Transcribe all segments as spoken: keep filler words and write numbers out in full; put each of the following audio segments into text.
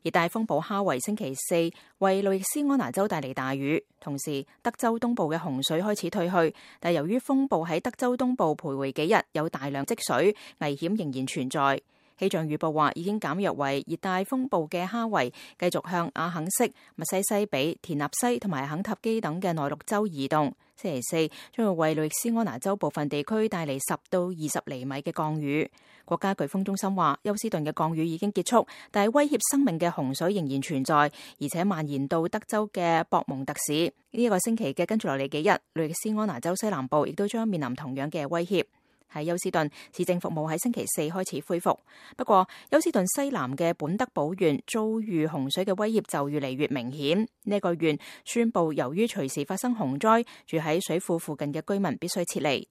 熱帶風暴哈維星期四為路易斯安那州帶嚟大雨，同時德州東部嘅洪水開始退去，但由於風暴喺德州東部徘徊幾日，有大量積水，危險仍然存在。氣象預報話，已經減弱為熱帶風暴嘅哈維繼續向阿肯色、密西西比、田納西同埋肯塔基等嘅內陸州移動。星期四將會為路易斯安那州部分地區帶嚟十到二十厘米嘅降雨。國家颶風中心話，休斯頓嘅降雨已經結束，但係威脅生命嘅洪水仍然存在，而且蔓延到德州嘅博蒙特市。呢、這、一個星期嘅跟住落嚟幾日，路易斯安那州西南部亦都將面臨同樣嘅威脅。喺休斯頓，市政服務喺星期四開始恢復，不過休斯頓西南嘅本德堡縣遭遇洪水嘅威脅就越嚟越明顯。呢、這個縣宣布，由於隨時發生洪災，住喺水庫附近嘅居民必須撤離。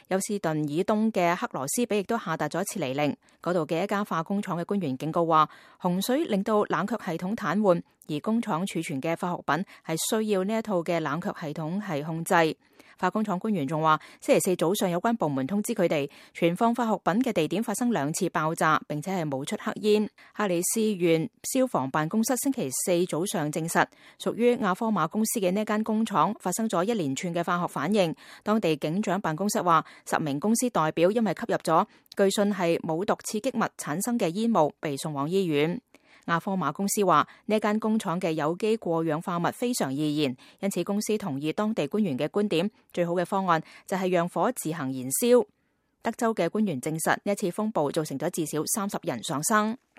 休斯頓以東嘅克羅斯比亦都下達咗撤離令，嗰度嘅一家化工廠嘅官員警告話，洪水令到冷卻系統癱瘓，而工廠儲存嘅化學品係需要呢一套嘅冷卻系統係控制。化工廠官員仲話，星期四早上有關部門通知佢哋，存放化學品嘅地點發生兩次爆炸，並且係冒出黑煙。哈里斯縣消防辦公室星期四早上證實，屬於亞科馬公司嘅呢間工廠發生咗一連串嘅化學反應。當地警長辦公室話，十名公司代表因為吸入咗據信係冇毒刺激物產生嘅煙霧，被送往醫院。亞科馬公司話，呢間工廠嘅有機過氧化物非常易燃，因此公司同意當地官員嘅觀點，最好嘅方案就係讓火自行燃燒。德州嘅官員證實，呢一次風暴造成咗至少三十人喪生。